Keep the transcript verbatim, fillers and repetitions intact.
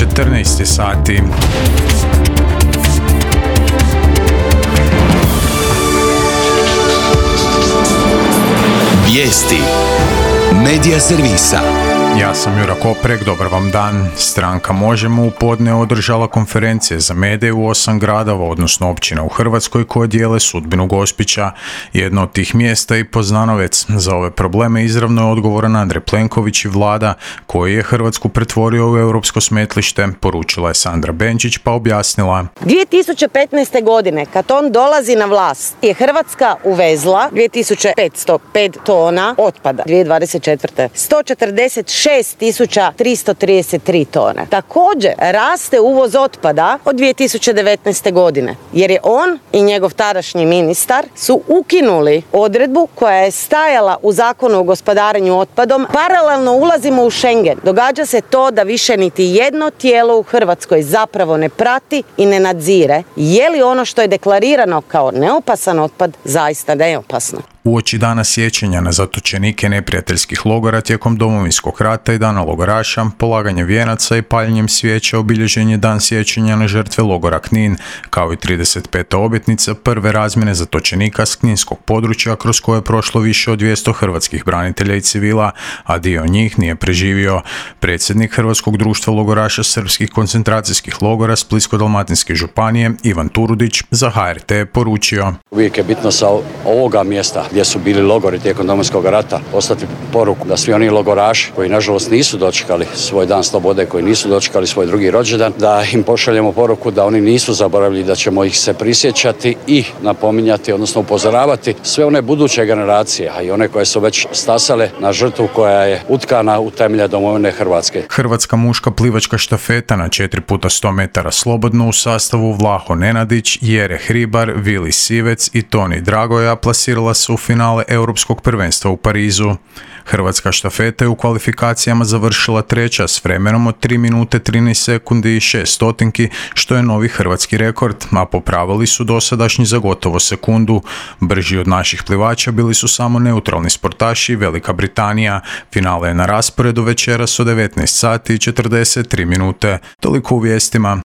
četrnaest sati. Vijesti Medija servisa. Ja sam Jura Koprek, dobar vam dan. Stranka Možemo! U podne održala konferencije za medije u osam gradova, odnosno općina u Hrvatskoj koje dijele sudbinu Gospića. Jedno od tih mjesta i Poznanovec. Za ove probleme izravno je odgovoran Andrej Plenković i vlada, koji je Hrvatsku pretvorio u europsko smetlište, poručila je Sandra Benčić pa objasnila. dvije tisuće petnaeste. godine, kad on dolazi na vlast, je Hrvatska uvezla dvije tisuće petsto pet tona otpada. dvije tisuće dvadeset četvrte. sto četrdeset šest tisuća tristo trideset tri tone. Također raste uvoz otpada od dvije tisuće devetnaeste. godine, jer je on i njegov tadašnji ministar su ukinuli odredbu koja je stajala u Zakonu o gospodarenju otpadom. Paralelno ulazimo u Schengen. Događa se to da više niti jedno tijelo u Hrvatskoj zapravo ne prati i ne nadzire je li ono što je deklarirano kao neopasan otpad zaista neopasno. Uoči dana sjećanja na zatočenike neprijateljskih logora tijekom Domovinskog rata i dana logoraša, polaganje vijenaca i paljenjem svijeća obilježen je dan sjećanja na žrtve logora Knin, kao i trideset peta obljetnica prve razmjene zatočenika s kninskog područja kroz koje je prošlo više od dvjesto hrvatskih branitelja i civila, a dio njih nije preživio. Predsjednik Hrvatskog društva logoraša srpskih koncentracijskih logora Splitsko-dalmatinske županije Ivan Turudić za H R T je poručio. Uvijek je bitno sa ovoga mjesta gdje su bili logori tijekom Domovinskog rata poslati poruku da svi oni logoraši koji nažalost nisu dočekali svoj dan slobode, koji nisu dočekali svoj drugi rođendan, da im pošaljemo poruku da oni nisu zaboravili, da ćemo ih se prisjećati i napominjati, odnosno upozoravati sve one buduće generacije, a i one koje su već stasale na žrtvu koja je utkana u temelje domovine Hrvatske. Hrvatska muška plivačka štafeta na četiri puta sto metara slobodno u sastavu Vlaho Nenadić, Jere Hribar, Vili Sivec i Toni Dragoja plasirala se u finale Europskog prvenstva u Parizu. Hrvatska štafeta je u kvalifikacijama završila treća s vremenom od tri minute trinaest sekundi i šest stotinki, što je novi hrvatski rekord, a popravili su dosadašnji za gotovo sekundu. Brži od naših plivača bili su samo neutralni sportaši i Velika Britanija. Finale je na rasporedu večeras od devetnaest sati i četrdeset tri minute. Toliko u vijestima.